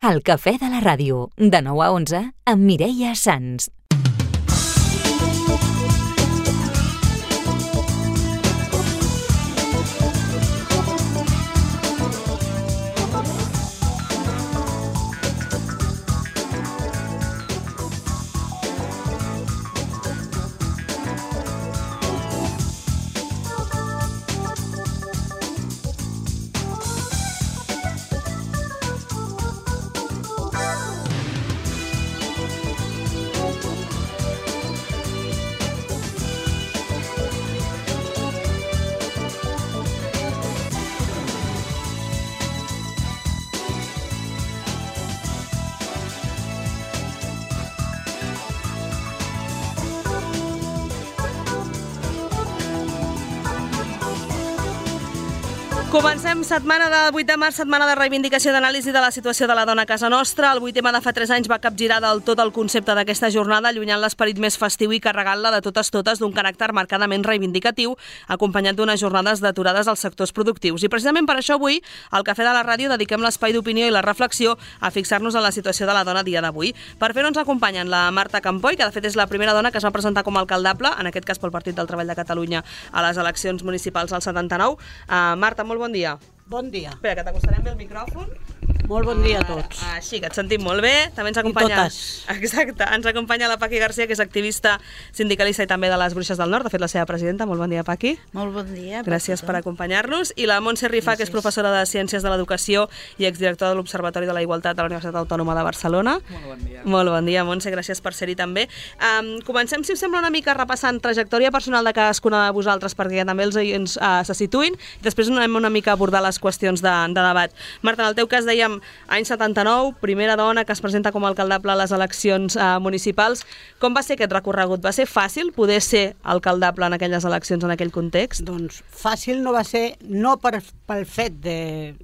El Cafè de la Ràdio, de 9 a 11, amb Mireia Sans. Comencem setmana del 8 de març, setmana de reivindicació d'anàlisi de la situació de la dona a casa nostra. El 8M de fa 3 anys va capgirar del tot el concepte d'aquesta jornada, allunyant l'esperit més festiu i carregant-la de totes d'un caràcter marcadament reivindicatiu, acompanyat d'unes jornades d'aturades als sectors productius. I precisament per això avui, al Cafè de la Ràdio, dediquem l'espai d'opinió i la reflexió a fixar-nos en la situació de la dona a dia d'avui. Per fer-ho ens acompanyen la Marta Campoy, que de fet és la primera dona que es va presentar com a alcaldable, en aquest cas pel Partit del Treball de Catalunya, a les eleccions municipals al 79. Marta, molt bon dia. Bon dia. Espera, que t'acostarem bé el micròfon. Molt bon dia a tots. Així, que et sentim molt bé. També ens acompanya... Exacte. Ens acompanya la Paqui Garcia, que és activista sindicalista i també de les Bruixes del Nord. De fet, la seva presidenta. Molt bon dia, Paqui. Molt bon dia. Gràcies per acompanyar-nos. I la Montse Rifà, que és professora de Ciències de l'Educació i exdirectora de l'Observatori de la Igualtat de la Universitat Autònoma de Barcelona. Molt bon dia. Molt bon dia, Montse. Gràcies per ser-hi també. Comencem, si us sembla, una mica repassant trajectòria personal de cadascuna de vosaltres, perquè també els oients se situïn. I després anem una mica a abordar les qüestions de debat. Marta, en el teu cas dèiem any 79, primera dona que es presenta com a alcaldable a les eleccions municipals. Com va ser aquest recorregut? Va ser fàcil poder ser alcaldable en aquelles eleccions, en aquell context? Doncs fàcil no va ser, no pel fet de,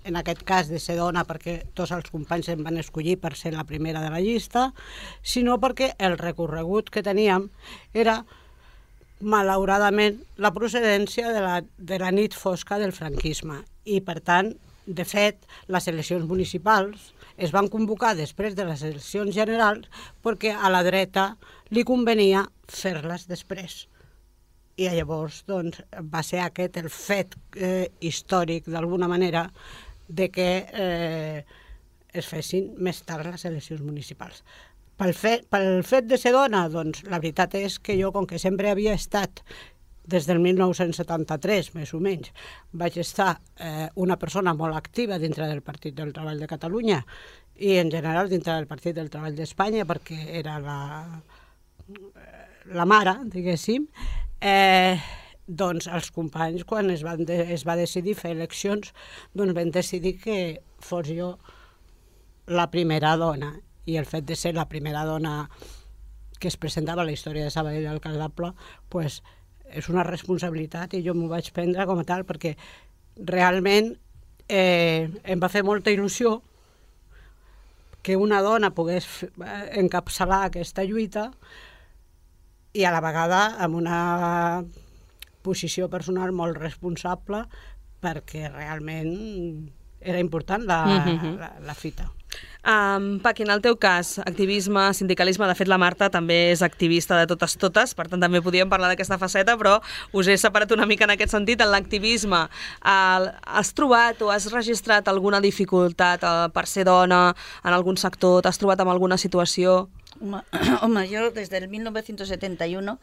en aquest cas, de ser dona, perquè tots els companys em van escollir per ser la primera de la llista, sinó perquè el recorregut que teníem era, malauradament, la procedència de la nit fosca del franquisme. I, per tant, de fet, les eleccions municipals es van convocar després de les eleccions generals perquè a la dreta li convenia fer-les després. I llavors doncs, va ser aquest el fet històric, d'alguna manera, de que es fessin més tard les eleccions municipals. Pel fet de ser dona, doncs, la veritat és que jo, com que sempre havia estat des del 1973, més o menys, vaig estar una persona molt activa dintre del Partit del Treball de Catalunya i, en general, dintre del Partit del Treball d'Espanya, perquè era la mare, diguéssim. Doncs els companys, quan es va decidir fer eleccions, doncs van decidir que fos jo la primera dona. I el fet de ser la primera dona que es presentava a la història de Sabadell alcaldable, doncs, és una responsabilitat i jo m'ho vaig prendre com a tal perquè realment em va fer molta il·lusió que una dona pogués encapçalar aquesta lluita i a la vegada amb una posició personal molt responsable perquè realment era important la fita. Paqui, en el teu cas, activisme, sindicalisme, de fet la Marta també és activista de totes, per tant també podíem parlar d'aquesta faceta, però us he separat una mica en aquest sentit. En l'activisme, has trobat o has registrat alguna dificultat per ser dona en algun sector? T'has trobat amb alguna situació? Home, yo desde el 1971,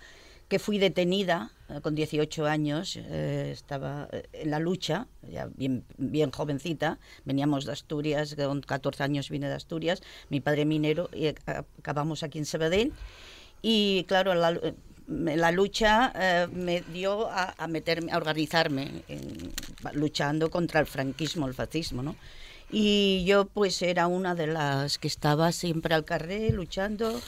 que fui detenida con 18 años, estaba en la lucha, ya bien jovencita, veníamos de Asturias, con 14 años vine de Asturias, mi padre minero, y acabamos aquí en Sabadell, y claro, la lucha me dio a organizarme, luchando contra el franquismo, el fascismo, ¿no? Y yo pues era una de las que estaba siempre al carré luchando.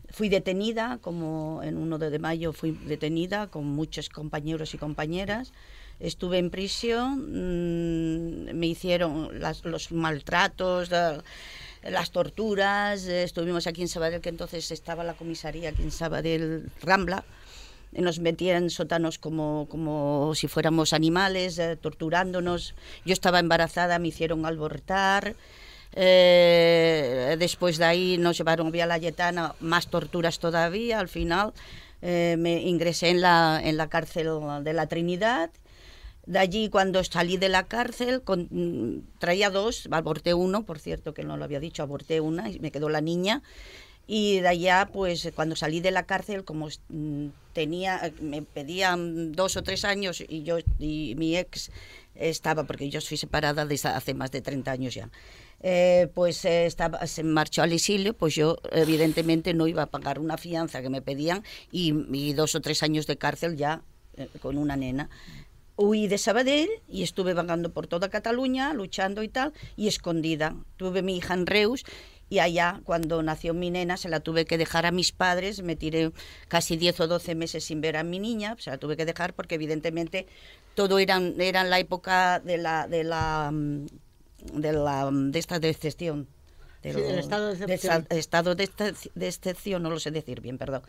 Fui detenida, como en 1 de mayo fui detenida con muchos compañeros y compañeras. Estuve en prisión, me hicieron los maltratos, las torturas. Estuvimos aquí en Sabadell, que entonces estaba la comisaría aquí en Sabadell, Rambla. Nos metían en sótanos como si fuéramos animales, torturándonos. Yo estaba embarazada, me hicieron abortar. Después de ahí nos llevaron vía La Lletana, más torturas todavía. Al final me ingresé en la cárcel de la Trinidad. De allí, cuando salí de la cárcel, traía 2, aborté 1, por cierto, que no lo había dicho, aborté 1 y me quedó la niña. Y de allá, pues cuando salí de la cárcel, como me pedían 2 o 3 años y mi ex estaba, porque yo soy separada desde hace más de 30 años ya, se marchó al exilio, pues yo evidentemente no iba a pagar una fianza que me pedían y 2 o 3 años de cárcel ya con una nena. Huí de Sabadell y estuve vagando por toda Cataluña, luchando y tal, y escondida. Tuve mi hija en Reus y allá, cuando nació mi nena, se la tuve que dejar a mis padres. Me tiré casi 10 o 12 meses sin ver a mi niña, se la tuve que dejar porque evidentemente todo era en la época de esta decepción. Del estado de excepción. Estado de excepción, no lo sé decir bien, perdón.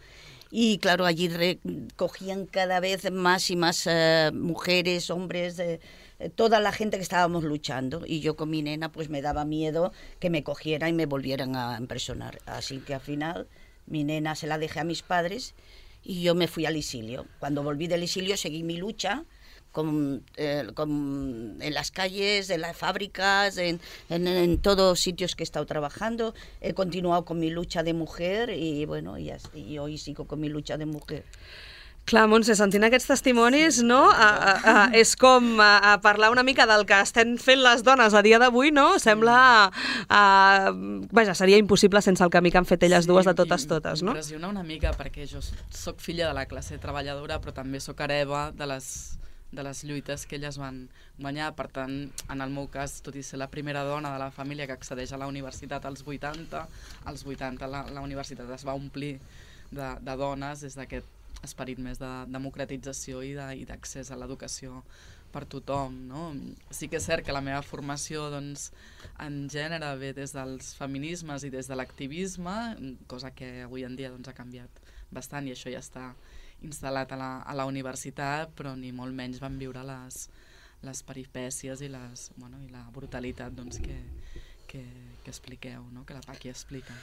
Y claro, allí recogían cada vez más y más mujeres, hombres, toda la gente que estábamos luchando. Y yo con mi nena pues me daba miedo que me cogieran y me volvieran a impresionar. Así que al final mi nena se la dejé a mis padres y yo me fui al exilio. Cuando volví del exilio seguí mi lucha en las calles, en las fábricas, en todos sitios que he estado trabajando. He continuado con mi lucha de mujer y bueno, y hoy sigo con mi lucha de mujer. Clar, Montse, sentint aquests testimonis, no? És com parlar una mica del que estem fent les dones a dia d'avui, no? Sembla... Vaja, seria impossible sense el camí que han fet elles dues de totes, no? M'impressiona una mica perquè jo soc filla de la classe treballadora, però també soc hereva de les lluites que elles van guanyar. Per tant, en el meu cas, tot i ser la primera dona de la família que accedeix a la universitat als 80, la universitat es va omplir de dones des d'aquest esperit més de democratització i d'accés a l'educació per tothom, no? Sí que és cert que la meva formació doncs, en gènere ve des dels feminismes i des de l'activisme, cosa que avui en dia doncs, ha canviat bastant i això ja està instal·lat a la universitat, però ni molt menys van viure les peripècies i la brutalitat doncs, que expliqueu, no? Que la Paqui explica.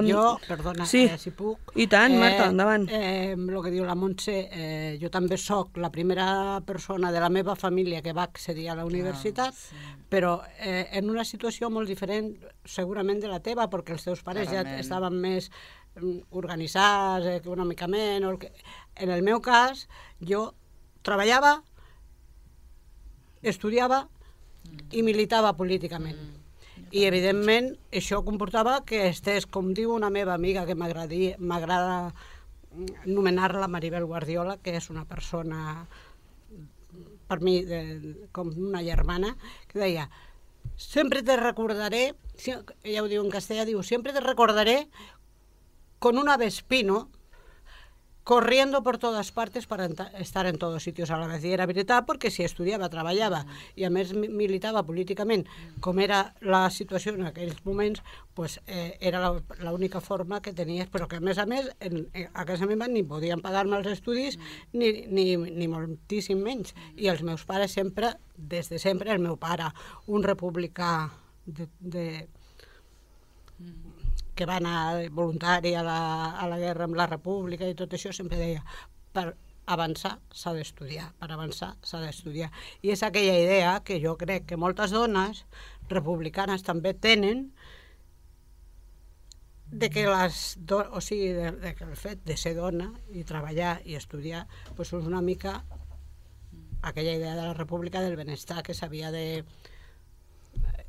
Jo, perdona, sí. Si puc... I tant, Marta, endavant. El que diu la Montse, jo també sóc la primera persona de la meva família que va accedir a la universitat, sí. Però en una situació molt diferent segurament de la teva, perquè els teus pares ja estaven més organitzats econòmicament. En el meu cas, jo treballava, estudiava i militava políticament. I, evidentment, això comportava que estés, com diu una meva amiga, que m'agrada anomenar-la Maribel Guardiola, que és una persona, per mi, com una germana, que deia, sempre te recordaré, ella ho diu en castellà, diu, sempre te recordaré con un avespino corriendo por todas partes para estar en todos sitios a la vez. I era veritat, perquè si estudiava, treballava i a més militava políticament, com era la situació en aquells moments, pues, era l'única forma que tenies, però que a més, a casa meva ni podien pagar-me els estudis ni moltíssim menys. I els meus pares sempre, des de sempre, el meu pare, un republicà que va anar voluntari a la guerra amb la República i tot això, sempre deia, per avançar s'ha d'estudiar, per avançar s'ha d'estudiar. I és aquella idea que jo crec que moltes dones republicanes també tenen de que el fet de ser dona i treballar i estudiar és una mica aquella idea de la República del benestar que s'havia de...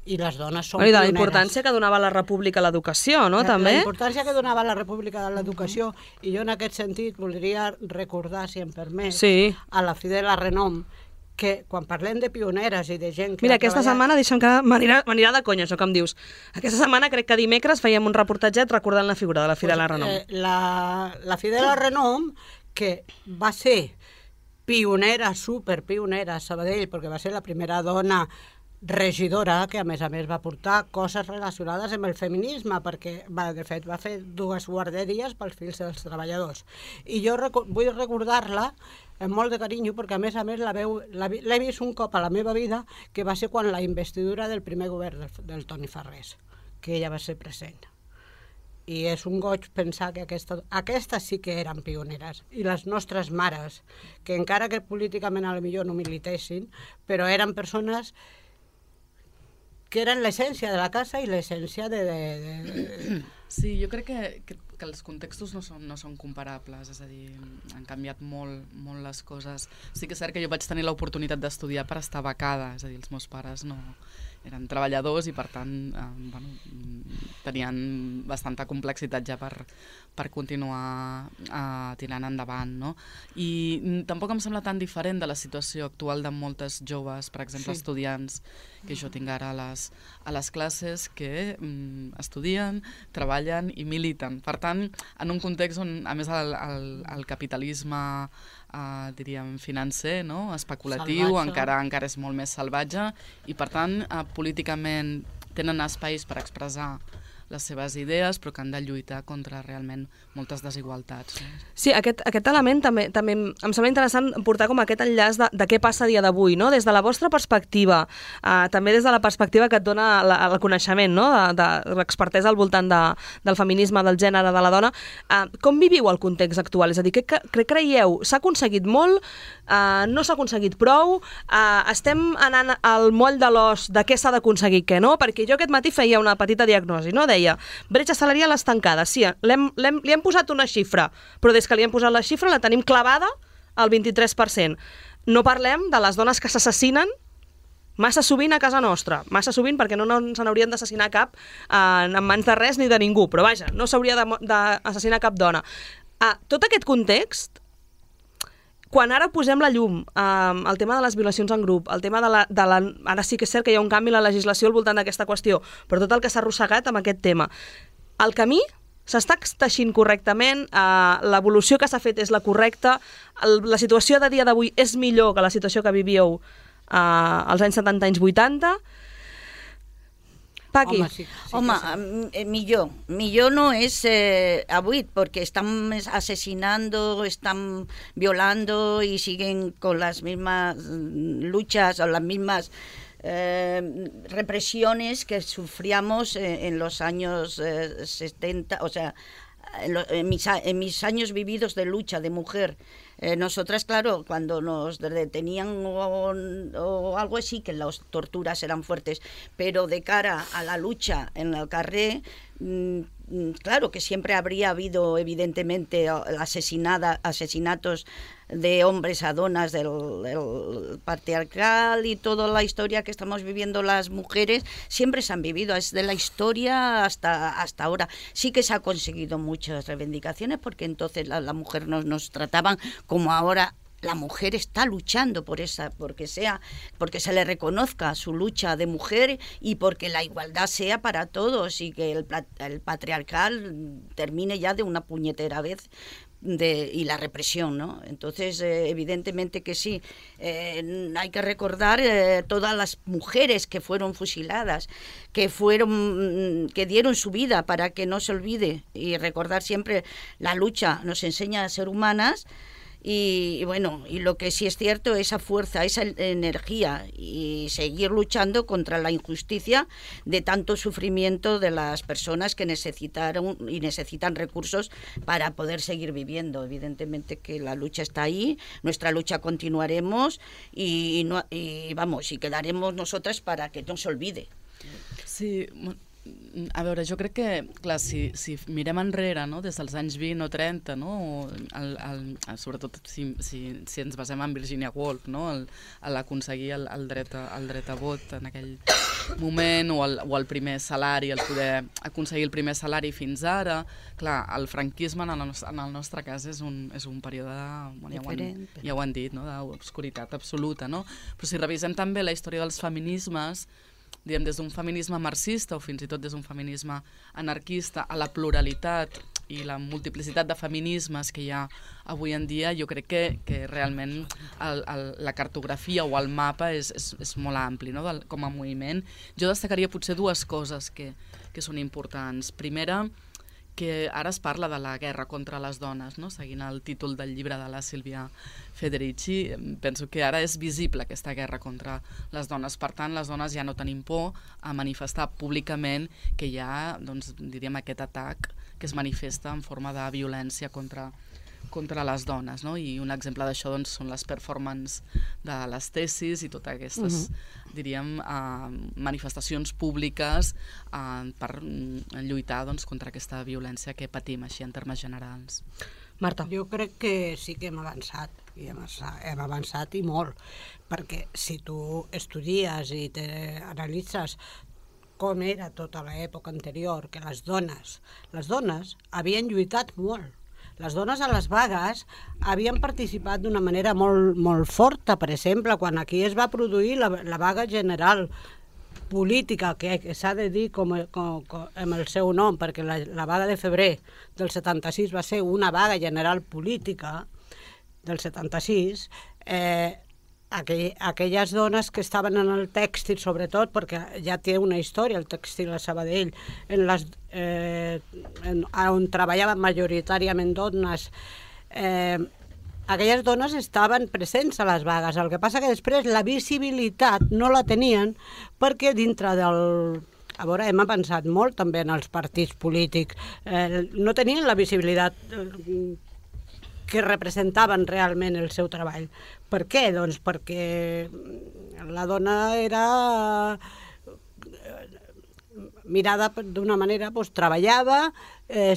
I les dones són pioneres. I de la importància que donava la República a l'educació, no? També? La importància que donava la República a l'educació, i jo en aquest sentit voldria recordar, si em permet, a la Fidela Renom, que quan parlem de pioneres i de gent que... Mira, aquesta setmana, deixa'm que m'anirà de conya, això que em dius. Aquesta setmana, crec que dimecres, fèiem un reportatget recordant la figura de la Fidela Renom. La Fidela Renom, que va ser pionera, superpionera a Sabadell, perquè va ser la primera dona regidora, que a més va portar coses relacionades amb el feminisme, perquè de fet va fer 2 guarderies pels fills dels treballadors. I jo vull recordar-la amb molt de carinyo, perquè a més l'he vist un cop a la meva vida, que va ser quan la investidura del primer govern del Toni Farrés, que ella va ser present. I és un goig pensar que aquestes sí que eren pioneres. I les nostres mares, que encara que políticament potser no militessin, però eren persones que eren l'essència de la casa i l'essència de... Sí, jo crec que els contextos no són comparables, és a dir, han canviat molt les coses. Sí que és cert que jo vaig tenir l'oportunitat d'estudiar per estar becada, és a dir, els meus pares no eren treballadors i per tant tenien bastanta complexitat ja per continuar tirant endavant, no? I tampoc em sembla tan diferent de la situació actual de moltes joves, per exemple, estudiants, que jo tinc ara a les classes, que estudien, treballen i militen. Per tant, en un context on, a més, el capitalisme diríem financer, no? Especulatiu, encara és molt més salvatge i per tant políticament tenen espais per expressar les seves idees, però que han de lluitar contra realment moltes desigualtats. Sí, aquest element també em sembla interessant portar com aquest enllaç de què passa a dia d'avui, no? Des de la vostra perspectiva, també des de la perspectiva que et dona el coneixement, no? De l'expertesa al voltant del feminisme, del gènere, de la dona. Com viviu el context actual? És a dir, què creieu? S'ha aconseguit molt? No s'ha aconseguit prou? Estem anant al moll de l'os de què s'ha d'aconseguir, què no? Perquè jo aquest matí feia una petita diagnosi, no? Deia, bretxa salarial estancada. Sí, li hem posat una xifra, però des que li hem posat la xifra la tenim clavada al 23%. No parlem de les dones que s'assassinen massa sovint a casa nostra. Massa sovint perquè no se n'haurien d'assassinar cap en mans de res ni de ningú, però vaja, no s'hauria d'assassinar cap dona. Tot aquest context, quan ara posem la llum, el tema de les violacions en grup, el tema ara sí que és cert que hi ha un canvi en la legislació al voltant d'aquesta qüestió, però tot el que s'ha arrossegat amb aquest tema. El camí s'està teixint correctament, l'evolució que s'ha fet és la correcta, la situació de dia d'avui és millor que la situació que vivíeu als anys 70, anys 80. Paqui. Millor no és avui, porque están asesinando, están violando y siguen con las mismas luchas o las mismas represiones que sufríamos en los años 70, o sea, en mis años vividos de lucha de mujer. Nosotras, claro, cuando nos detenían o algo así, que las torturas eran fuertes, pero de cara a la lucha en el carrer, claro que siempre habría habido, evidentemente, asesinatos de hombres a donas del patriarcal y toda la historia que estamos viviendo las mujeres, siempre se han vivido, es de la historia hasta ahora. Sí que se ha conseguido muchas reivindicaciones, porque entonces la mujer nos trataban como ahora. La mujer está luchando porque se le reconozca su lucha de mujer y porque la igualdad sea para todos y que el patriarcal termine ya de una puñetera vez y la represión, ¿no? Entonces, evidentemente que sí. Hay que recordar todas las mujeres que fueron fusiladas, que dieron su vida para que no se olvide, y recordar siempre la lucha nos enseña a ser humanas. Y bueno, y lo que sí es cierto, esa fuerza, esa energía y seguir luchando contra la injusticia de tanto sufrimiento de las personas que necesitan recursos para poder seguir viviendo. Evidentemente que la lucha está ahí, nuestra lucha continuaremos y quedaremos nosotras para que no se olvide. Sí, a veure, jo crec que, clar, si mirem enrere, no, des dels anys 20 o 30, no, sobretot si ens basem en Virginia Woolf, no, l'aconseguir el dret a vot en aquell moment, o el primer salari, el poder aconseguir el primer salari fins ara, clar, el franquisme en el nostre cas és un període, ja ho han dit, no, d'obscuritat absoluta, no? Però si revisem també la història dels feminismes, diguem, des d'un feminisme marxista o fins i tot des d'un feminisme anarquista a la pluralitat i la multiplicitat de feminismes que hi ha avui en dia, jo crec que realment la cartografia o el mapa és molt ampli, no? Com a moviment. Jo destacaria potser dues coses que són importants. Primera, que ara es parla de la guerra contra les dones, no? Seguint el títol del llibre de la Sílvia Federici, penso que ara és visible aquesta guerra contra les dones. Per tant, les dones ja no tenim por a manifestar públicament que hi ha, doncs, diríem, aquest atac que es manifesta en forma de violència contra les dones, no? I un exemple d'això, doncs, són les performances de les tesis i totes aquestes, diríem, manifestacions públiques per lluitar, doncs, contra aquesta violència que patim així en termes generals. Marta. Jo crec que sí que hem avançat, i hem avançat i molt, perquè si tu estudies i analitzes com era tota l'època anterior, que les dones havien lluitat molt. Les dones a les vagues havien participat d'una manera molt forta. Per exemple, quan aquí es va produir la vaga general política, que s'ha de dir amb el seu nom, perquè la vaga de febrer del 76 va ser una vaga general política del 76, aquelles dones que estaven en el tèxtil, sobretot, perquè ja té una història el tèxtil a Sabadell, on treballaven majoritàriament dones, aquelles dones estaven presents a les vagues. El que passa que després la visibilitat no la tenien perquè dintre del... A veure, hem avançat molt també en els partits polítics. No tenien la visibilitat que representaven realment el seu treball. Per què? Doncs perquè la dona era mirada d'una manera, doncs treballava,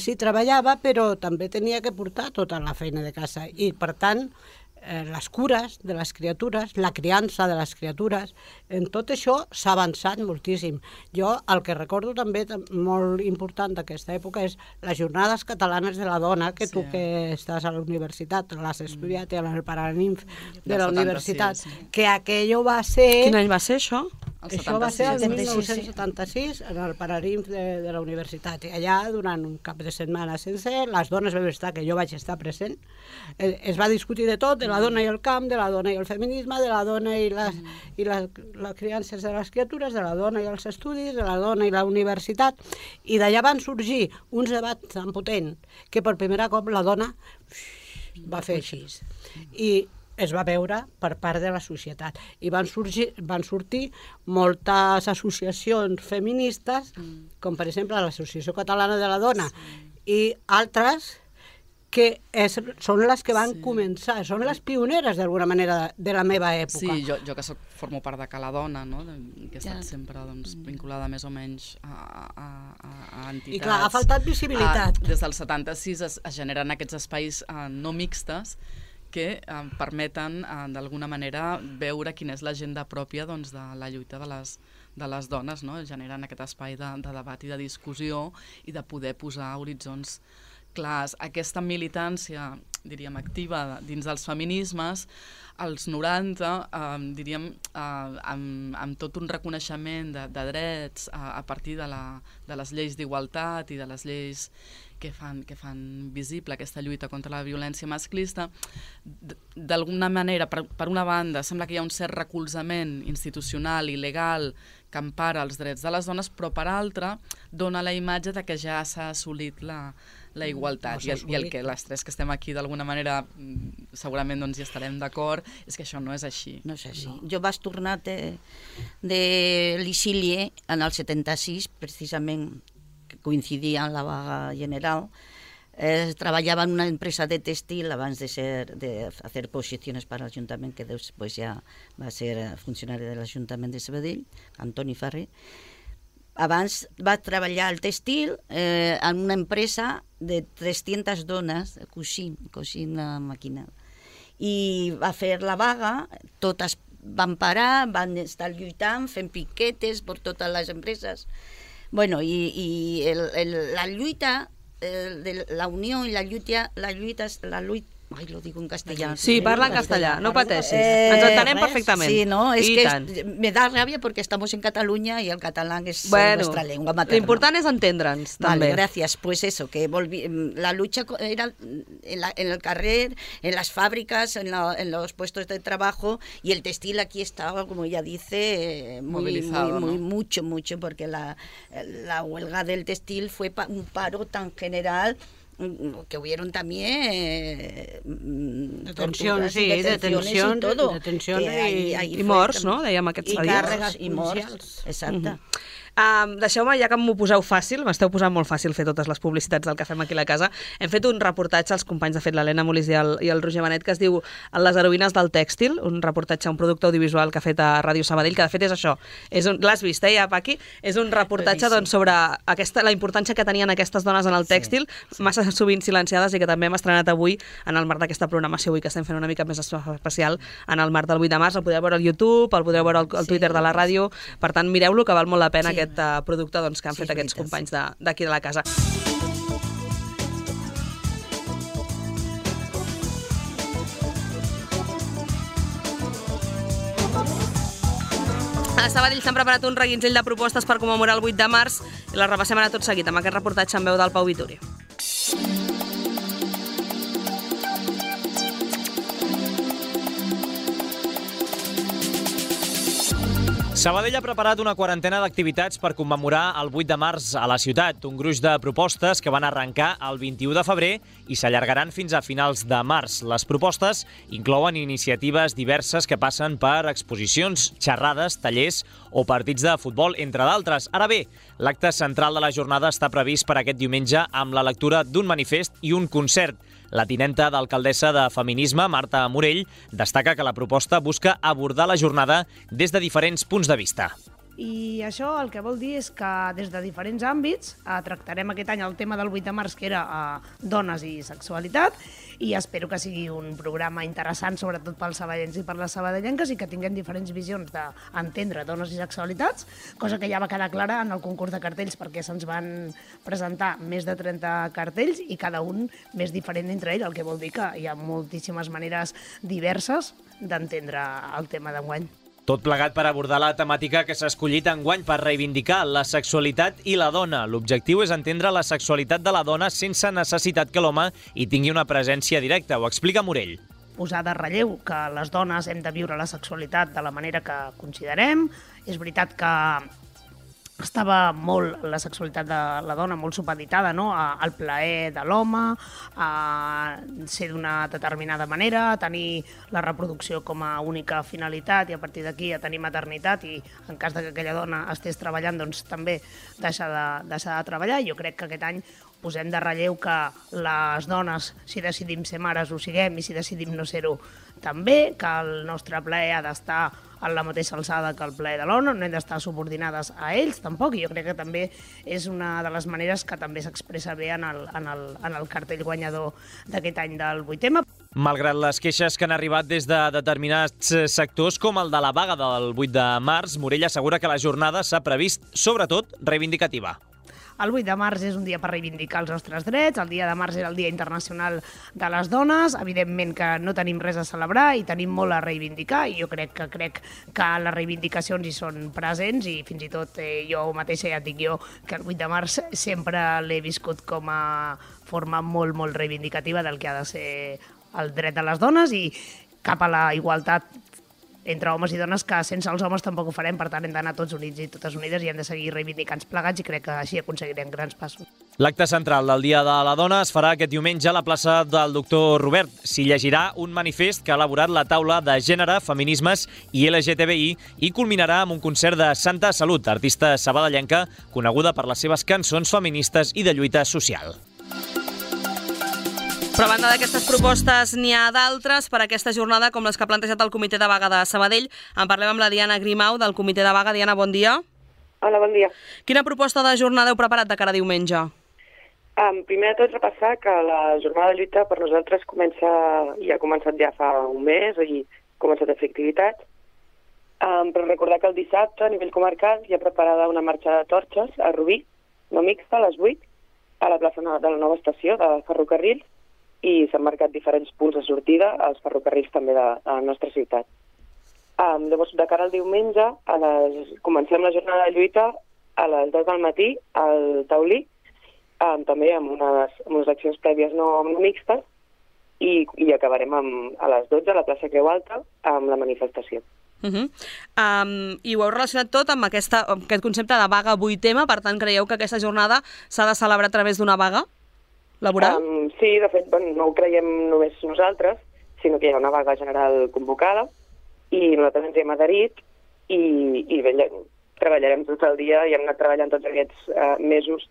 sí treballava, però també tenia que portar tota la feina de casa. I, per tant, les cures de les criatures, la criança de les criatures, en tot això s'ha avançat moltíssim. Jo el que recordo també molt important d'aquesta època és les jornades catalanes de la dona, que tu que estàs a la universitat, l'has estudiat en el Paraninf de la universitat, que aquello va ser... Quin any va ser això? Això va ser el 1976 en el Paraninf de la universitat. I allà, durant un cap de setmana sencer, les dones vam estar, que jo vaig estar present, es va discutir de tot, de la dona i el camp, de la dona i el feminisme, de la dona i les criances de les criatures, de la dona i els estudis, de la dona i la universitat, i d'allà van sorgir uns debats tan potents que per primer cop la dona va fer així. I es va veure per part de la societat. I van sortir moltes associacions feministes, com per exemple l'Associació Catalana de la Dona, i altres que són les que van començar, són les pioneres d'alguna manera de la meva època. Sí, jo que formo part de Cala Dona, no? Que he estat sempre vinculada més o menys a entitats. I clar, ha faltat visibilitat. Des del 76 es generen aquests espais no mixtes que permeten d'alguna manera veure quina és l'agenda pròpia de la lluita de les dones, no? Generen aquest espai de debat i de discussió i de poder posar horitzons clars. Aquesta militància, diríem, activa dins dels feminismes, als 90, diríem, amb tot un reconeixement de drets a partir de les lleis d'igualtat i de les lleis que fan visible aquesta lluita contra la violència masclista, d'alguna manera, per una banda, sembla que hi ha un cert recolzament institucional i legal que empara els drets de les dones, però per altra dona la imatge de que ja s'ha assolit la igualtat. I el que les tres que estem aquí d'alguna manera segurament hi estarem d'acord és que això no és així. No és així. Jo vaig tornar de l'Ixilie en el 76, precisament que coincidia amb la vaga general. Trabajaba en una empresa de textil abans de hacer posiciones para el Ayuntamiento, que después ya va a ser funcionario del Ayuntamiento de Sabadell, Antoni Ferrer. Abans va treballar al textil en una empresa de 300 dones cosint la màquina. I va fer la vaga, totes van parar, van estar lluitant, fent piquetes per totes les empreses. Bueno, la lluita, la unió i la lluita Ai, lo digo en castellà. Sí, parla en castellà, no pateixis. Ens entenem perfectament. Sí, no, es I que tant. me da rabia porque estamos en Cataluña y el catalán es nuestra lengua materna. L'important és entendre'ns, també. Vale, gracias. Pues eso, que la lucha era en el carrer, en las fábricas, en los puestos de trabajo, y el textil aquí estaba, como ella dice, movilizado, ¿no? mucho, porque la huelga del textil fue un paro tan general que hubieron también detencions, sí, detencions y todo. I morts, no? Dèiem aquests dies. I càrregues i morts, exacte. Deixeu-me, ja que m'ho poseu fàcil, m'esteu posant molt fàcil fer totes les publicitats del que fem aquí a la casa, hem fet un reportatge, els companys de fet l'Helena Molís i el Roger Benet, que es diu Les heroïnes del tèxtil, un reportatge, un producte audiovisual que ha fet a Ràdio Sabadell, que de fet és això, l'has vist, ja, Paqui? És un reportatge doncs, sobre la importància que tenien aquestes dones en el tèxtil, massa sovint silenciades, i que també hem estrenat avui en el marc d'aquesta programació avui que estem fent una mica més especial en el marc del 8 de març. El podeu veure al YouTube, el podeu veure al Twitter de la ràdio, per tant mireu-lo, que val molt la pena aquest producte doncs, que han fet aquests companys d'aquí de la casa. A Sabadell s'han preparat un reguitzell de propostes per commemorar el 8 de març i les repassem ara tot seguit amb aquest reportatge en veu del Pau Vituri. Sabadell ha preparat una quarantena d'activitats per commemorar el 8 de març a la ciutat. Un gruix de propostes que van arrencar el 21 de febrer i s'allargaran fins a finals de març. Les propostes inclouen iniciatives diverses que passen per exposicions, xerrades, tallers o partits de futbol, entre d'altres. Ara bé, l'acte central de la jornada està previst per aquest diumenge amb la lectura d'un manifest i un concert. La tinenta d'alcaldessa de Feminisme, Marta Morell, destaca que la proposta busca abordar la jornada des de diferents punts de vista. I això el que vol dir és que des de diferents àmbits tractarem aquest any el tema del 8 de març, que era dones i sexualitat, i espero que sigui un programa interessant, sobretot pels sabadellencs i per les sabadellenques, i que tinguem diferents visions d'entendre dones i sexualitats, cosa que ja va quedar clara en el concurs de cartells, perquè se'ns van presentar més de 30 cartells i cada un més diferent entre ells, el que vol dir que hi ha moltíssimes maneres diverses d'entendre el tema d'enguany. Tot plegat per abordar la temàtica que s'ha escollit enguany per reivindicar la sexualitat i la dona. L'objectiu és entendre la sexualitat de la dona sense necessitat que l'home hi tingui una presència directa, ho explica Morell. Posar de relleu que les dones hem de viure la sexualitat de la manera que considerem. És veritat que estava molt la sexualitat de la dona molt supeditada, no? Al plaer de l'home, a ser d'una determinada manera, a tenir la reproducció com a única finalitat i a partir d'aquí a tenir maternitat, i en cas que aquella dona estés treballant doncs també deixar de treballar. Jo crec que aquest any posem de relleu que les dones, si decidim ser mares, ho siguem, i si decidim no ser-ho també, que el nostre plaer ha d'estar a la mateixa alçada que el plaer de l'home, no hem d'estar subordinades a ells tampoc, i jo crec que també és una de les maneres que també s'expressa bé en el cartell guanyador d'aquest any del 8M. Malgrat les queixes que han arribat des de determinats sectors, com el de la vaga del 8 de març, Morell assegura que la jornada s'ha previst, sobretot, reivindicativa. El 8 de març és un dia per reivindicar els nostres drets, el dia de març era el Dia Internacional de les Dones, evidentment que no tenim res a celebrar i tenim molt a reivindicar, i jo crec que les reivindicacions hi són presents, i fins i tot jo mateixa ja et dic jo que el 8 de març sempre l'he viscut com a forma molt, molt reivindicativa del que ha de ser el dret de les dones i cap a la igualtat entre homes i dones, que sense els homes tampoc ho farem, per tant hem d'anar tots units i totes unides i hem de seguir reivindicant plegats, i crec que així aconseguirem grans passos. L'acte central del Dia de la Dona es farà aquest diumenge a la plaça del Doctor Robert. S'hi llegirà un manifest que ha elaborat la taula de gènere, feminismes i LGTBI i culminarà amb un concert de Santa Salut, artista sabadellenca coneguda per les seves cançons feministes i de lluita social. Però a banda d'aquestes propostes n'hi ha d'altres per a aquesta jornada, com les que ha plantejat el Comitè de Vaga de Sabadell. En parlem amb la Diana Grimau, del Comitè de Vaga. Diana, bon dia. Hola, bon dia. Quina proposta de jornada heu preparat de cara a diumenge? Primer de tot, repassar que la jornada de lluita per nosaltres ha començat ja fa un mes i ha començat a fer activitats. Però recordar que el dissabte, a nivell comarcal, hi ha preparada una marxa de torxes a Rubí, no mixta, a les 8, a la plaça de la nova estació de ferrocarrils, i s'han marcat diferents punts de sortida als ferrocarrils també de la nostra ciutat. Llavors, de cara al diumenge, comencem la jornada de lluita a les 10 del matí al Taulí, també amb unes accions prèvies no mixtes, i acabarem a les 12 a la plaça Creu Alta amb la manifestació. I ho heu relacionat tot amb aquest concepte de vaga 8M, per tant, creieu que aquesta jornada s'ha de celebrar a través d'una vaga laboral? Sí, de fet, no ho creiem només nosaltres, sinó que hi ha una vaga general convocada, i nosaltres ens hi hem adherit i treballarem tot el dia i hem anat treballant tots aquests mesos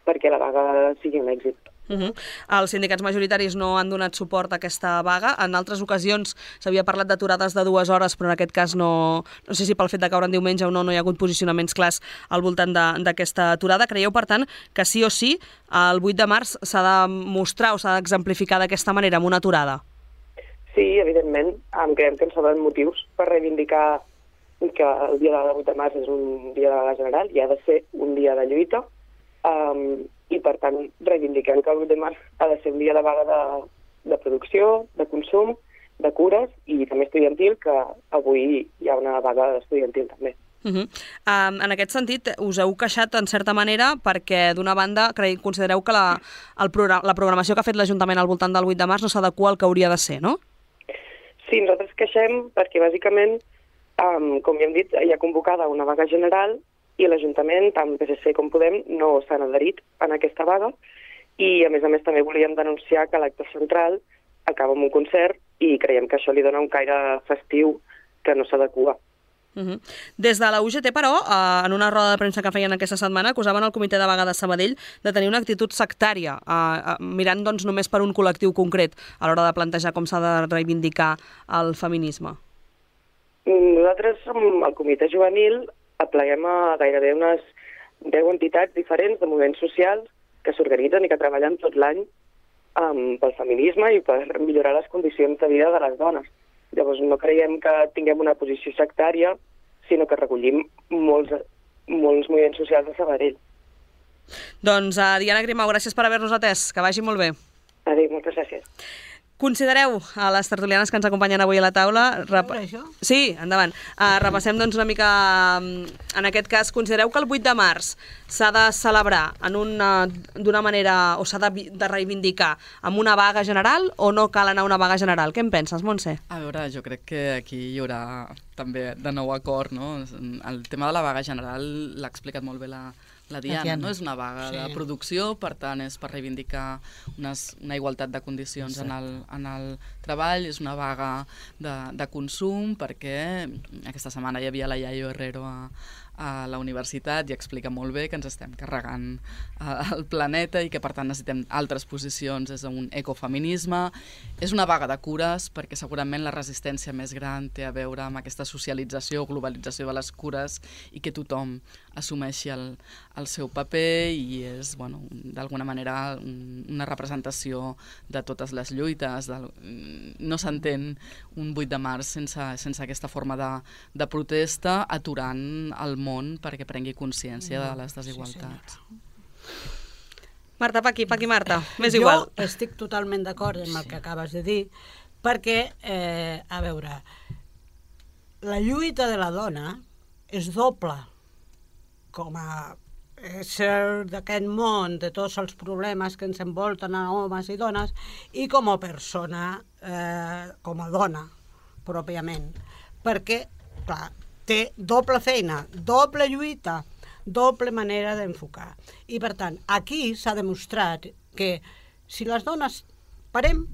perquè la vaga sigui un èxit. Els sindicats majoritaris no han donat suport a aquesta vaga. En altres ocasions s'havia parlat d'aturades de 2 hores, però en aquest cas no sé si pel fet de caure en diumenge o no hi ha hagut posicionaments clars al voltant d'aquesta aturada. Creieu, per tant, que sí o sí el 8 de març s'ha de mostrar o s'ha d'exemplificar d'aquesta manera amb una aturada? Sí, evidentment. Creiem que ens sobren motius per reivindicar que el dia del 8 de març és un dia de vaga general i ha de ser un dia de lluita. I, per tant, reivindiquem que el 8 de març ha de ser un dia de vaga de producció, de consum, de cures i també estudiantil, que avui hi ha una vaga estudiantil també. En aquest sentit, us heu queixat en certa manera perquè, d'una banda, considereu que la programació que ha fet l'Ajuntament al voltant del 8 de març no s'adequa al que hauria de ser, no? Sí, nosaltres queixem perquè, bàsicament, com ja hem dit, hi ha convocada una vaga general i l'Ajuntament, tant PSC com Podem, no s'han adherit en aquesta vaga i, a més, també volíem denunciar que l'acte central acaba amb un concert i creiem que això li dona un caire festiu que no s'adequa. Des de la UGT, però, en una roda de premsa que feien aquesta setmana, acusaven el comitè de vaga de Sabadell de tenir una actitud sectària, mirant doncs, només per un col·lectiu concret a l'hora de plantejar com s'ha de reivindicar el feminisme. Nosaltres, el comitè juvenil, apleguem a gairebé unes 10 entitats diferents de moviments socials que s'organitzen i que treballen tot l'any pel feminisme i per millorar les condicions de vida de les dones. Llavors no creiem que tinguem una posició sectària, sinó que recollim molts moviments socials de Sabadell. Doncs, Diana Grimau, gràcies per haver-nos atès. Que vagi molt bé. Adéu, moltes gràcies. Considereu, a les tertulianes que ens acompanyen avui a la taula... Sí, endavant. Repassem doncs una mica, en aquest cas, considereu que el 8 de març s'ha de celebrar d'una manera, o s'ha de reivindicar amb una vaga general o no cal anar a una vaga general? Què en penses, Montse? A veure, jo crec que aquí hi haurà també de nou acord, no? El tema de la vaga general l'ha explicat molt bé la Diana, no? És una vaga de producció, per tant és per reivindicar una igualtat de condicions en el treball, és una vaga de consum, perquè aquesta setmana hi havia la Yayo Herrero a la universitat i explica molt bé que ens estem carregant el planeta i que per tant necessitem altres posicions des d'un ecofeminisme. És una vaga de cures perquè segurament la resistència més gran té a veure amb aquesta socialització o globalització de les cures i que tothom assumeixi el seu paper i és, bueno, d'alguna manera una representació de totes les lluites. No s'entén un 8 de març sense aquesta forma de protesta, aturant el món perquè prengui consciència de les desigualtats. Marta, Paqui, Marta, m'és igual. Jo estic totalment d'acord amb el que acabes de dir, perquè, a veure, la lluita de la dona és doble, com a ésser d'aquest món, de tots els problemes que ens envolten a homes i dones, i com a persona, com a dona, pròpiament. Perquè, clar, té doble feina, doble lluita, doble manera d'enfocar. I, per tant, aquí s'ha demostrat que si les dones parem,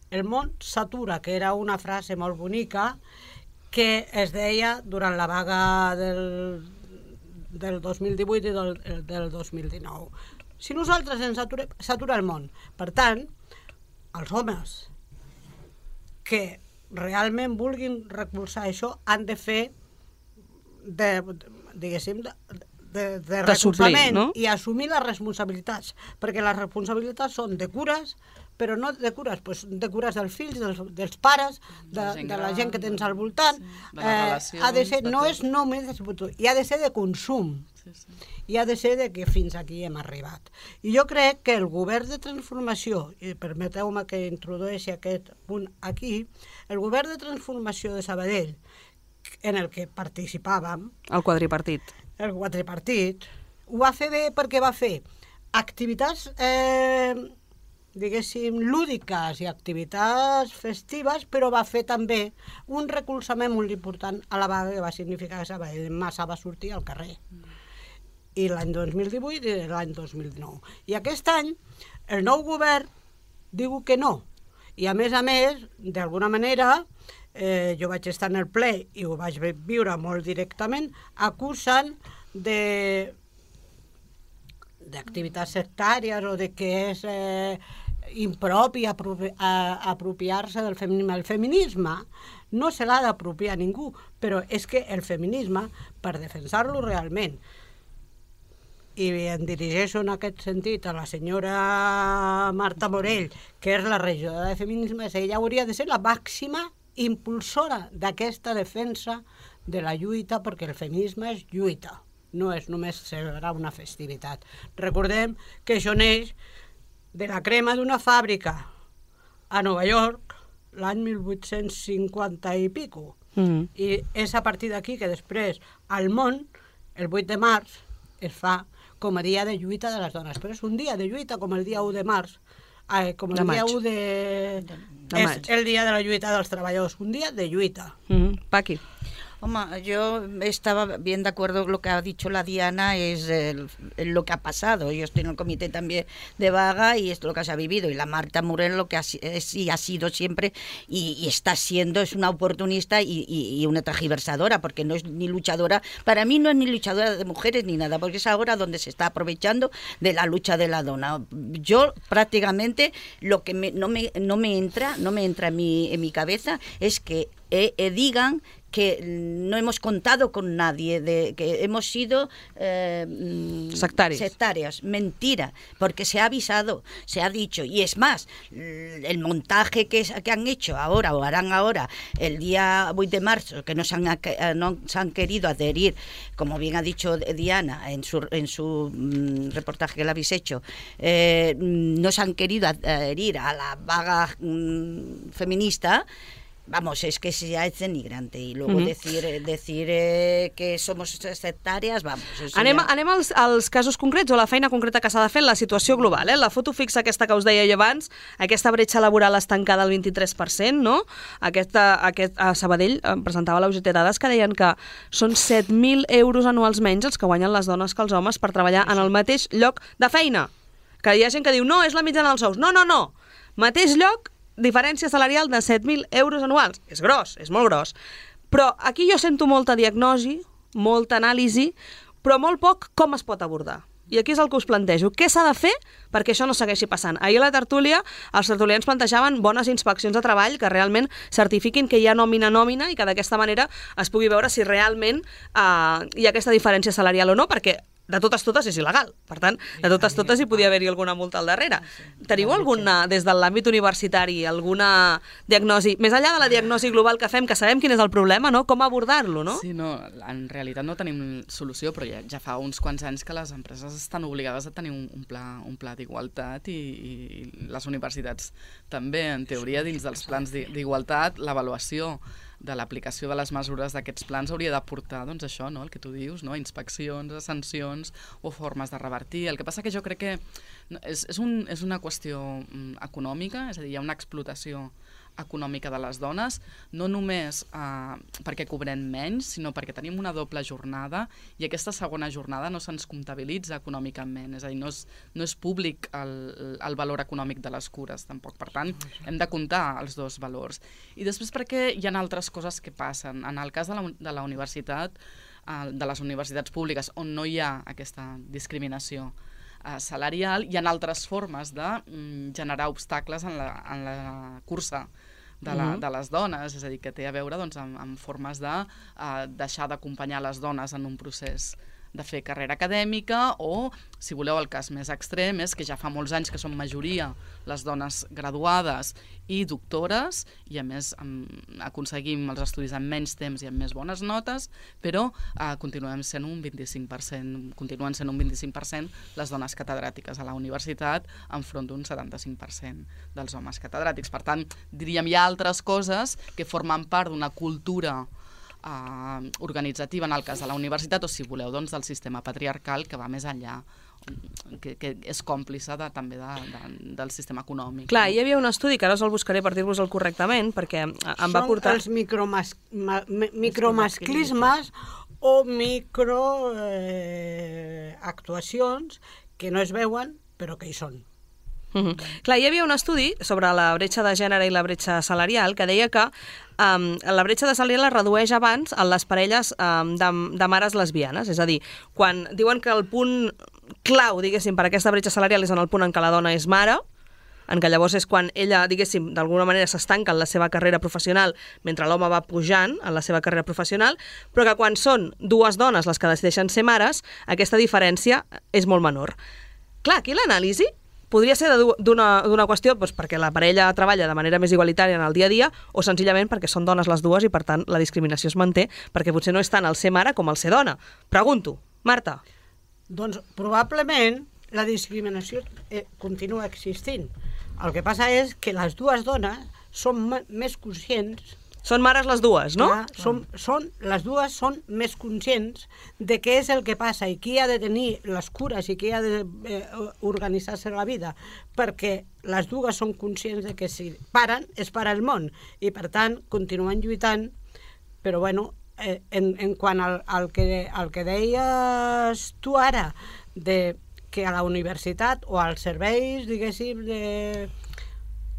el món s'atura, que era una frase molt bonica que es deia durant la vaga del 2018 i del 2019. Si nosaltres ens aturem, s'atura el món. Per tant, els homes que realment vulguin recolzar això han de fer, diguéssim, recolzament, no? i assumir les responsabilitats, perquè les responsabilitats són de cures, però no de cures, doncs de cures dels fills, dels pares, de la gent que tens al voltant. de les relacions, Ha de ser, de no tot. és només de futbol, i ha de ser de consum. I ha de ser de que fins aquí hem arribat. I jo crec que el govern de transformació, i permeteu-me que introdueixi aquest punt aquí, el govern de transformació de Sabadell, en el que participàvem, El quadripartit. el quadripartit, ho va fer bé perquè va fer activitats, diguéssim, lúdiques i activitats festives, però va fer també un recolzament molt important a la vaga que va significar que Sabadell massa va sortir al carrer. I l'any 2018 i l'any 2019. I aquest any el nou govern diu que no. I a més, d'alguna manera, jo vaig estar en el ple i ho vaig viure molt directament, acusen d'activitats sectàries o de que és impropi apropiar-se del feminisme. El feminisme no se l'ha d'apropiar ningú, però és que el feminisme, per defensar-lo realment, i em dirigeixo en aquest sentit a la senyora Marta Morell, que és la regidora de feminisme, ella hauria de ser la màxima impulsora d'aquesta defensa de la lluita, perquè el feminisme és lluita, no és només celebrar una festivitat. Recordem que això neix de la crema d'una fàbrica a Nova York l'any 1850 i pico. I és a partir d'aquí que després al món, el 8 de març, es fa com a dia de lluita de les dones. Però és un dia de lluita com el dia 1 de març, com el dia 1 de maig. És el dia de la lluita dels treballadors, un dia de lluita. Paqui. Hombre, yo estaba bien de acuerdo con lo que ha dicho la Diana, es lo que ha pasado. Yo estoy en el comité también de vaga y es lo que se ha vivido. Y la Marta Morell lo que ha sido siempre y está siendo, es una oportunista y una tergiversadora, porque no es ni luchadora. Para mí no es ni luchadora de mujeres ni nada, porque es ahora donde se está aprovechando de la lucha de la dona. Yo prácticamente lo que no me entra en mi cabeza es que digan que no hemos contado con nadie, que hemos sido sectarias. Mentira, porque se ha avisado, se ha dicho, y es más, el montaje que han hecho ahora o harán ahora el día 8 de marzo, que no se han querido adherir, como bien ha dicho Diana en su reportaje que le habéis hecho, no se han querido adherir a la vaga feminista. Vamos, es que se ha hecho denigrante y luego decir que somos sectàries, vamos... Anem als casos concrets o a la feina concreta que s'ha de fer en la situació global. La foto fixa aquesta que us deia jo abans, aquesta bretxa laboral estancada al 23%, no? A Sabadell presentava la UGT dades que deien que són 7.000 euros anuals menys els que guanyen les dones que els homes per treballar en el mateix lloc de feina. Que hi ha gent que diu, no, és la mitjana dels sous. No. Mateix lloc, diferència salarial de 7.000 euros anuals. És gros, és molt gros. Però aquí jo sento molta diagnosi, molta anàlisi, però molt poc com es pot abordar. I aquí és el que us plantejo. Què s'ha de fer perquè això no segueixi passant? Ahir a la tertúlia, els tertulians plantejaven bones inspeccions de treball que realment certifiquin que hi ha nòmina i que d'aquesta manera es pugui veure si realment hi ha aquesta diferència salarial o no, perquè de totes és il·legal. Per tant, de totes hi podia haver-hi alguna multa al darrere. Teniu alguna, des de l'àmbit universitari, alguna diagnosi, més enllà de la diagnosi global que fem, que sabem quin és el problema, no? Com abordar-lo, no? Sí, no, en realitat no tenim solució, però ja fa uns quants anys que les empreses estan obligades a tenir un pla d'igualtat i les universitats també, en teoria, dins dels plans d'igualtat, l'avaluació de l'aplicació de les mesures d'aquests plans hauria d'aportar, doncs això, no? El que tu dius, no? Inspeccions, sancions o formes de revertir. El que passa que jo crec que és una qüestió econòmica, és a dir, hi ha una explotació econòmica de les dones, no només perquè cobrem menys, sinó perquè tenim una doble jornada i aquesta segona jornada no se'ns comptabilitza econòmicament, és a dir, no és públic el valor econòmic de les cures, tampoc. Per tant, hem de comptar els dos valors. I després perquè hi ha altres coses que passen. En el cas de la universitat, de les universitats públiques, on no hi ha aquesta discriminació salarial, hi ha altres formes de generar obstacles en la cursa de les dones, és a dir, que té a veure amb formes de deixar d'acompanyar les dones en un procés de fer carrera acadèmica o, si voleu, el cas més extrem és que ja fa molts anys que són majoria les dones graduades i doctores i, a més, aconseguim els estudis en menys temps i amb més bones notes, però continuen sent un 25% les dones catedràtiques a la universitat enfront d'un 75% dels homes catedràtics. Per tant, diríem, hi ha altres coses que formen part d'una cultura organitzativa en el cas de la universitat o, si voleu, doncs, del sistema patriarcal que va més enllà, que és còmplice també del sistema econòmic. Clar, hi havia un estudi, que ara us el buscaré per dir-vos-el correctament, perquè em va portar... Són els micromasclismes o microactuacions que no es veuen però que hi són. Clar, hi havia un estudi sobre la bretxa de gènere i la bretxa salarial que deia que la bretxa de salarial es redueix abans en les parelles de mares lesbianes, és a dir, quan diuen que el punt clau, diguéssim, per aquesta bretxa salarial és en el punt en què la dona és mare, en què llavors és quan ella, diguéssim, d'alguna manera s'estanca en la seva carrera professional mentre l'home va pujant en la seva carrera professional, però que quan són dues dones les que decideixen ser mares, aquesta diferència és molt menor. Clar, aquí l'anàlisi podria ser d'una qüestió perquè la parella treballa de manera més igualitària en el dia a dia o senzillament perquè són dones les dues i, per tant, la discriminació es manté perquè potser no és tant el ser mare com el ser dona. Pregunto, Marta. Doncs probablement la discriminació continua existint. El que passa és que les dues dones són més conscients. Són mares les dues, no? Les dues són més conscients de què és el que passa i qui ha de tenir les cures i qui ha d'organitzar-se la vida, perquè les dues són conscients de que si paren, es para el món, i per tant continuen lluitant, però bueno, en quant al que deies tu ara, de que a la universitat o als serveis, diguéssim, de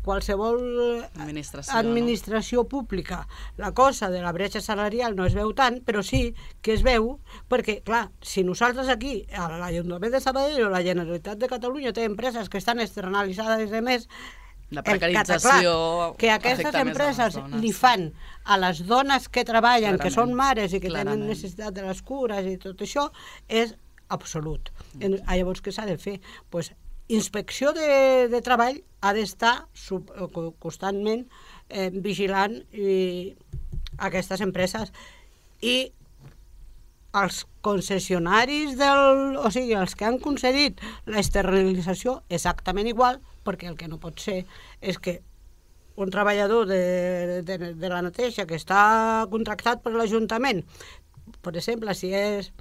qualsevol administració pública, la cosa de la bretxa salarial no es veu tant, però sí que es veu, perquè, clar, si nosaltres aquí, a l'Ajuntament de Sabadell o la Generalitat de Catalunya té empreses que estan externalitzades i més, la precarització que aquestes empreses li fan a les dones que treballen, que són mares i que tenen necessitat de les cures i tot això, és absolut. Llavors, què s'ha de fer? Doncs Inspecció de Treball ha d'estar constantment vigilant aquestes empreses i els concessionaris, o sigui, els que han concedit l'externalització exactament igual, perquè el que no pot ser és que un treballador de la neteja que està contractat per l'Ajuntament, per exemple, si és,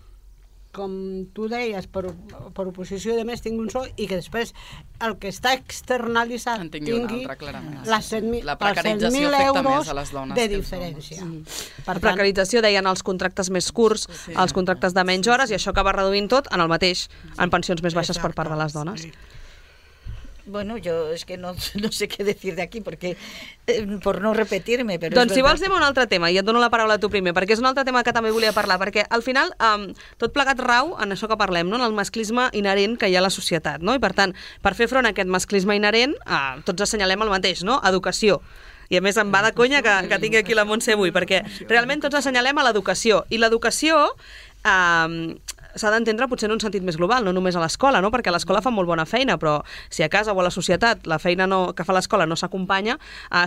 com tu deies, per oposició de més tingui un sou i que després el que està externalitzat tingui els 100.000 euros de diferència. Per precarització deien els contractes més curts, els contractes de menys hores, i això acaba reduint tot en el mateix, en pensions més baixes per part de les dones. Bueno, yo es que no sé qué decir de aquí, porque por no repetirme, però doncs si vols anem a un altre tema, i et dono la paraula a tu primer, perquè és un altre tema que també volia parlar, perquè al final tot plegat rau en això que parlem, no? En el masclisme inherent que hi ha a la societat, no? I per tant, per fer front a aquest masclisme inherent, tots assenyalem el mateix, no? Educació. I a més em va de conya que tingui aquí la Montse avui, perquè realment tots assenyalem a l'educació, i l'educació s'ha d'entendre potser en un sentit més global, no només a l'escola, no? Perquè a l'escola fa molt bona feina, però si a casa o a la societat la feina que fa l'escola no s'acompanya,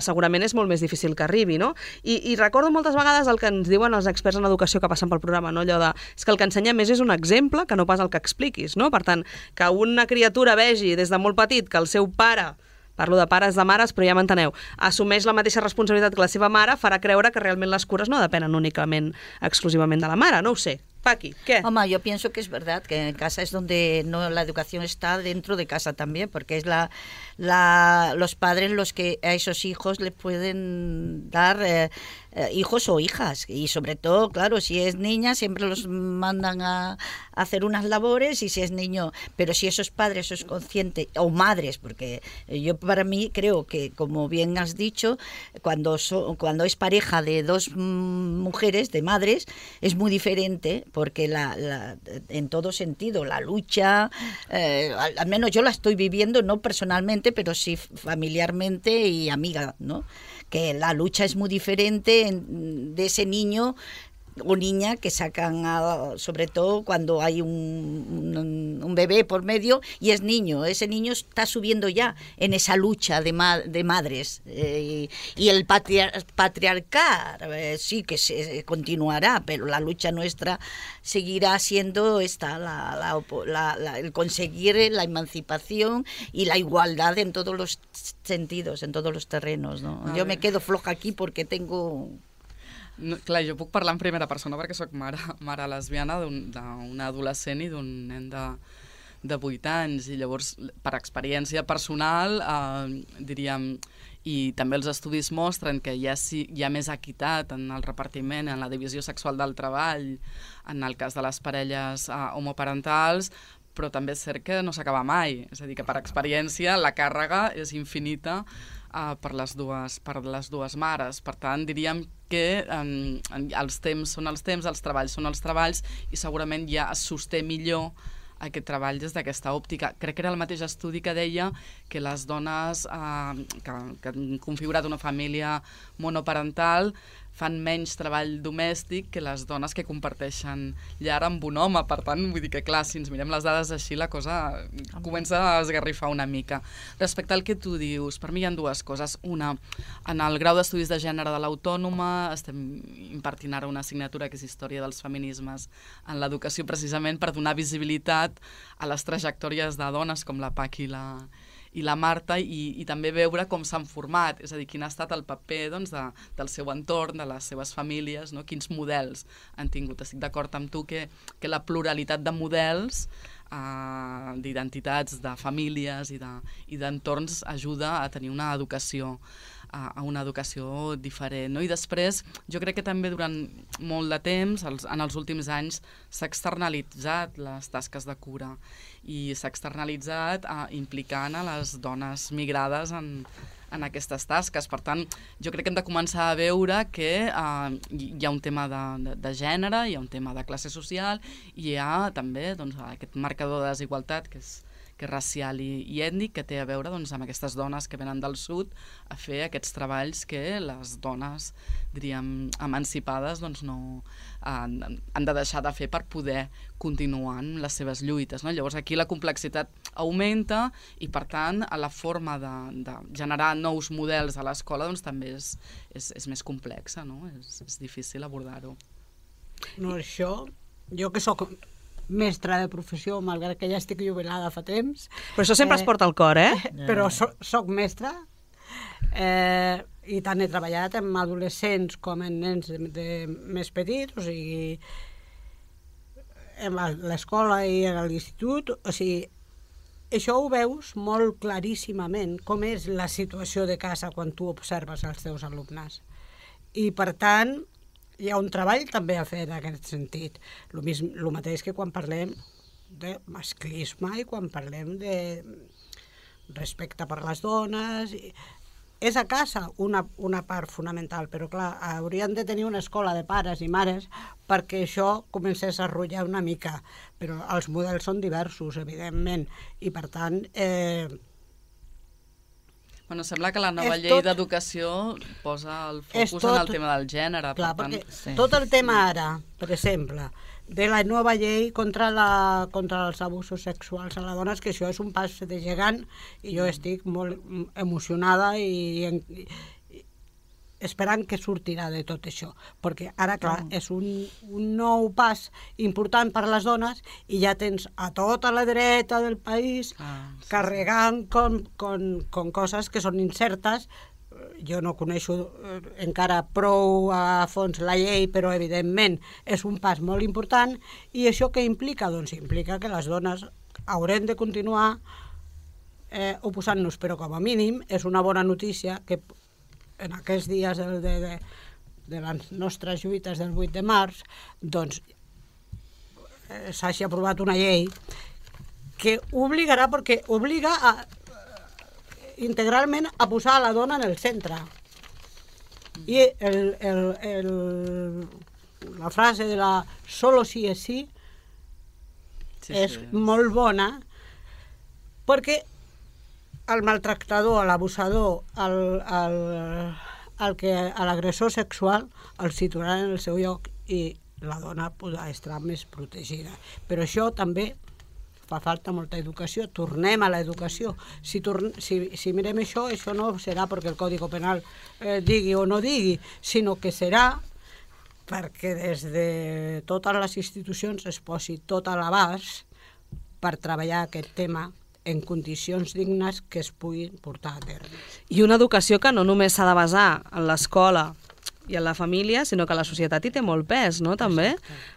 segurament és molt més difícil que arribi, no? I recordo moltes vegades el que ens diuen els experts en educació que passen pel programa, no? Allò de, és que el que ensenyem més és un exemple que no pas el que expliquis, no? Per tant, que una criatura vegi des de molt petit que el seu pare, parlo de pares, de mares, però ja m'enteneu, assumeix la mateixa responsabilitat que la seva mare, farà creure que realment les cures no depenen únicament, exclusivament de la mare, no ho sé. Paqui, ¿qué? Mamá, yo pienso que es verdad, que en casa es donde la educación está dentro de casa también, porque es los padres los que a esos hijos les pueden dar hijos o hijas, y sobre todo, claro, si es niña siempre los mandan a hacer unas labores, y si es niño, pero si esos padres son conscientes, o madres, porque yo para mí creo que, como bien has dicho, cuando es pareja de dos mujeres, de madres, es muy diferente, porque en todo sentido la lucha, al menos yo la estoy viviendo, no personalmente, pero sí familiarmente y amiga, ¿no? Que la lucha es muy diferente de ese niño o niña que sacan, sobre todo cuando hay un bebé por medio y es niño. Ese niño está subiendo ya en esa lucha de madres. Y el patriarcado sí que se continuará, pero la lucha nuestra seguirá siendo esta, el conseguir la emancipación y la igualdad en todos los sentidos, en todos los terrenos, ¿no? Jo me quedo floja aquí porque tengo... No, clar, jo puc parlar en primera persona perquè sóc mare lesbiana d'una adolescent i d'un nen de 8 anys, i llavors per experiència personal diríem, i també els estudis mostren que hi ha més equitat en el repartiment, en la divisió sexual del treball, en el cas de les parelles homoparentals, però també és cert que no s'acaba mai, és a dir, que per experiència la càrrega és infinita per les dues mares. Per tant, diríem que els temps són els temps, els treballs són els treballs, i segurament ja es sosté millor aquest treball des d'aquesta òptica. Crec que era el mateix estudi que deia que les dones que han configurat una família monoparental fan menys treball domèstic que les dones que comparteixen llar amb un home. Per tant, vull dir que, clar, si ens mirem les dades així, la cosa comença a esgarrifar una mica. Respecte al que tu dius, per mi hi ha dues coses. Una, en el grau d'estudis de gènere de l'Autònoma estem impartint ara una assignatura que és Història dels feminismes en l'educació, precisament per donar visibilitat a les trajectòries de dones com la Pac i la Marta, i també veure com s'han format, és a dir, quin ha estat el paper del seu entorn, de les seves famílies, no? Quins models han tingut. Estic d'acord amb tu que la pluralitat de models, d'identitats, de famílies i d'entorns ajuda a tenir una educació diferent, no? I després, jo crec que també durant molt de temps, en els últims anys, s'ha externalitzat les tasques de cura i s'ha externalitzat implicant a les dones migrades en aquestes tasques. Per tant, jo crec que hem de començar a veure que hi ha un tema de gènere, hi ha un tema de classe social, i hi ha també aquest marcador de desigualtat que és racial i ètnic, que té a veure amb aquestes dones que venen del sud a fer aquests treballs que les dones, diríem, emancipades no han de deixar de fer per poder continuar amb les seves lluites, no? Llavors aquí la complexitat augmenta i, per tant, la forma de generar nous models a l'escola també és més complexa, no? És difícil abordar-ho. No, això, jo que sóc mestra de professió, malgrat que ja estic jubilada fa temps. Però això sempre es porta al cor, Però soc mestra i tant he treballat amb adolescents com en nens més petits, o sigui, en l'escola i a l'institut, o sigui, això ho veus molt claríssimament, com és la situació de casa quan tu observes els teus alumnes. I, per tant, hi ha un treball també a fer en aquest sentit. El mateix que quan parlem de masclisme i quan parlem de respecte per les dones. És a casa una part fonamental, però clar, haurien de tenir una escola de pares i mares perquè això comencés a rotllar una mica. Però els models són diversos, evidentment, i per tant... Bueno, sembla que la nova llei d'educació posa el focus en el tema del gènere. Clar, perquè tot el tema ara, per exemple, de la nova llei contra els abusos sexuals a les dones, que això és un pas de gegant, i jo estic molt emocionada i esperant que sortirà de tot això, perquè ara, clar, és un nou pas important per a les dones i ja tens a tota la dreta del país carregant com coses que són incertes. Jo no coneixo encara prou a fons la llei, però evidentment és un pas molt important. I això què implica? Doncs implica que les dones haurem de continuar oposant-nos, però com a mínim és una bona notícia que en aquests dies de les nostres lluites del 8 de març, doncs s'hagi aprovat una llei que obligarà, perquè obliga integralment a posar la dona en el centre. I la frase de la solo sí es sí és molt bona, perquè el maltractador, l'abusador, l'agressor sexual el situaran en el seu lloc i la dona podrà estar més protegida. Però això també fa falta molta educació. Tornem a l'educació. Si mirem això no serà perquè el Codi Penal digui o no digui, sinó que serà perquè des de totes les institucions es posi tot a l'abast per treballar aquest tema en condicions dignes que es puguin portar a terme. I una educació que no només s'ha de basar en l'escola i en la família, sinó que la societat hi té molt pes, no?, també.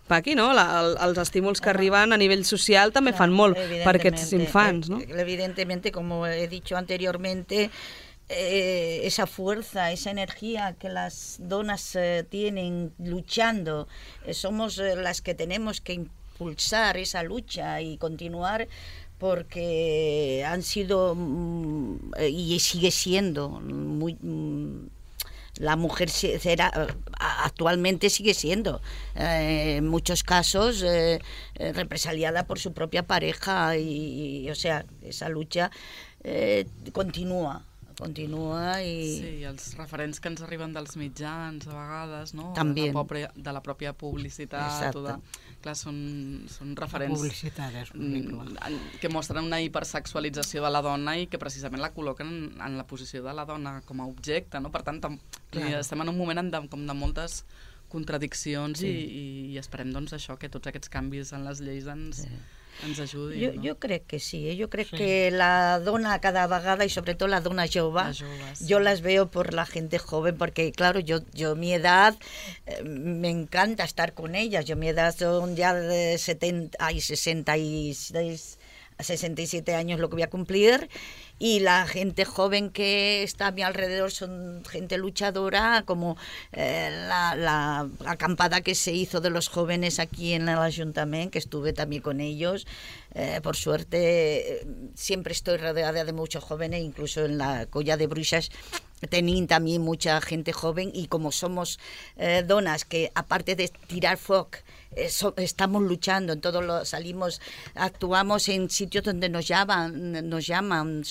Paqui, no? Els estímuls que arriben a nivell social també fan molt per aquests infants, ¿no? Evidentemente, como he dicho anteriormente, esa fuerza, esa energía que las donas tienen luchando, somos las que tenemos que impulsar esa lucha y continuar, porque han sido y sigue siendo muy... La mujer actualmente sigue siendo, en muchos casos, represaliada por su propia pareja y o sea, esa lucha continua i... Sí, i els referents que ens arriben dels mitjans, a vegades, no? També. De la pròpia publicitat. Clar, són referents que mostren una hipersexualització de la dona i que precisament la col·loquen en la posició de la dona com a objecte, no? Per tant, estem en un moment com de moltes contradiccions i esperem doncs això, que tots aquests canvis en les lleis ens ajudin. Yo creo que sí, yo creo que la dona cada vegada y sobre todo la dona jove, yo las veo por la gente joven, porque claro, yo mi edad me encanta estar con ellas, mi edad son ya de 67 años lo que voy a cumplir, y la gente joven que está a mi alrededor son gente luchadora, como la acampada que se hizo de los jóvenes aquí en el Ayuntamiento, que estuve también con ellos. Por suerte siempre estoy rodeada de muchos jóvenes, incluso en la Colla de Bruixas tenían también mucha gente joven, y como somos donas que aparte de tirar foc estamos luchando en todos salimos, actuamos en sitios donde nos llaman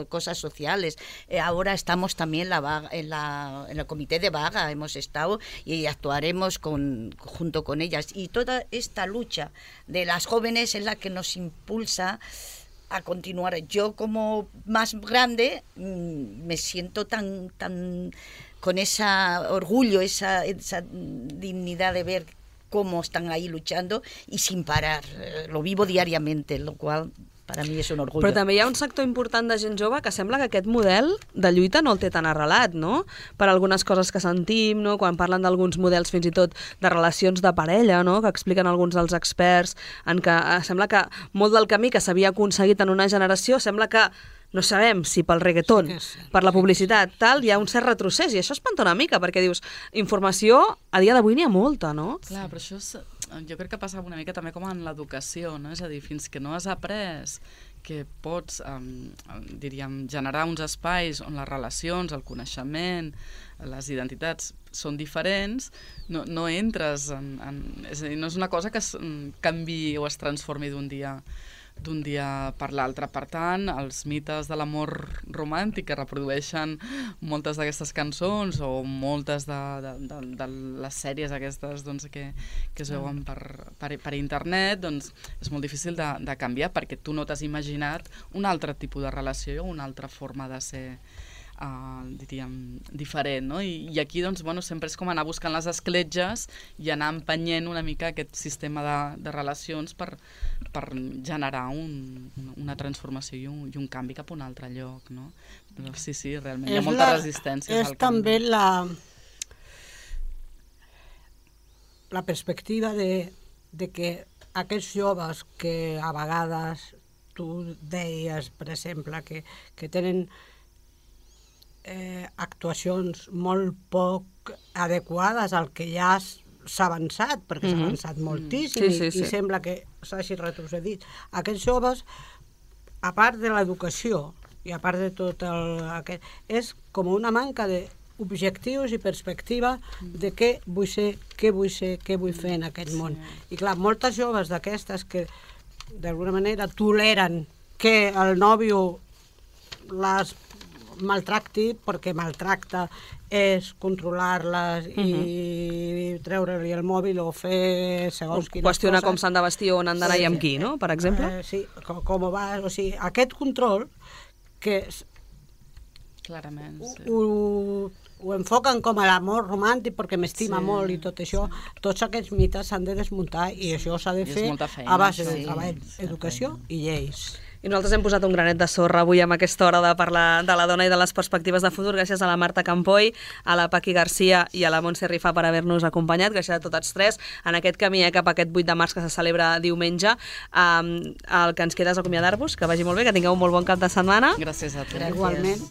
cosas sociales. Ahora estamos también en el comité de vaga, hemos estado y actuaremos junto con ellas, y toda esta lucha de las jóvenes es la que nos impulsa a continuar. Yo como más grande me siento tan con ese orgullo, esa dignidad de ver cómo están ahí luchando y sin parar. Lo vivo diariamente, lo cual per a mi és un orgull. Però també hi ha un sector important de gent jove que sembla que aquest model de lluita no el té tan arrelat, no? Per algunes coses que sentim, no? Quan parlen d'alguns models fins i tot de relacions de parella, no? Que expliquen alguns dels experts, en què sembla que molt del camí que s'havia aconseguit en una generació sembla que no sabem si pel reggaeton, per la publicitat, tal, hi ha un cert retrocés, i això espanta una mica, perquè dius, informació a dia d'avui n'hi ha molta, no? Clar, però això jo crec que passa una mica també com en l'educació, no? És a dir, fins que no has après que pots, diríem, generar uns espais on les relacions, el coneixement, les identitats són diferents, no entres és a dir, no és una cosa que es canvi o es transformi d'un dia per l'altre. Per tant, els mites de l'amor romàntic que reprodueixen moltes d'aquestes cançons o moltes de les sèries aquestes que es veuen per internet, doncs és molt difícil de canviar, perquè tu no t'has imaginat un altre tipus de relació o una altra forma de ser, diríem, diferent, no? I aquí, doncs, bueno, sempre és com anar buscant les escletges i anar empenyent una mica aquest sistema de relacions per generar una transformació i un canvi cap a un altre lloc, no? Però sí, realment hi ha molta resistència. És també la perspectiva de que aquests joves que a vegades tu deies, per exemple, que tenen actuacions molt poc adequades al que ja s'ha avançat, perquè s'ha avançat moltíssim i sembla que s'hagi retrocedit. Aquests joves, a part de l'educació i a part de tot aquest, és com una manca d'objectius i perspectiva de què vull ser, què vull fer en aquest món. I clar, moltes joves d'aquestes que d'alguna manera toleren que el nòvio maltracti, perquè maltracta és controlar-les i treure-li el mòbil o fer segons quines coses. Qüestionar com s'han de vestir o on han d'anar i amb qui, no?, per exemple. Sí, com va... O sigui, aquest control que clarament, sí. Ho enfoquen com a l'amor romàntic perquè m'estima molt i tot això, tots aquests mites s'han de desmuntar i això s'ha de fer a base de treball, educació i lleis. I nosaltres hem posat un granet de sorra avui amb aquesta hora de parlar de la dona i de les perspectives de futur, gràcies a la Marta Campoy, a la Paqui Garcia i a la Montse Rifà per haver-nos acompanyat, gràcies a totes tres, en aquest camí cap a aquest 8 de març que se celebra diumenge. El que ens queda és acomiadar-vos, que vagi molt bé, que tingueu un molt bon cap de setmana. Gràcies a tu. Igualment.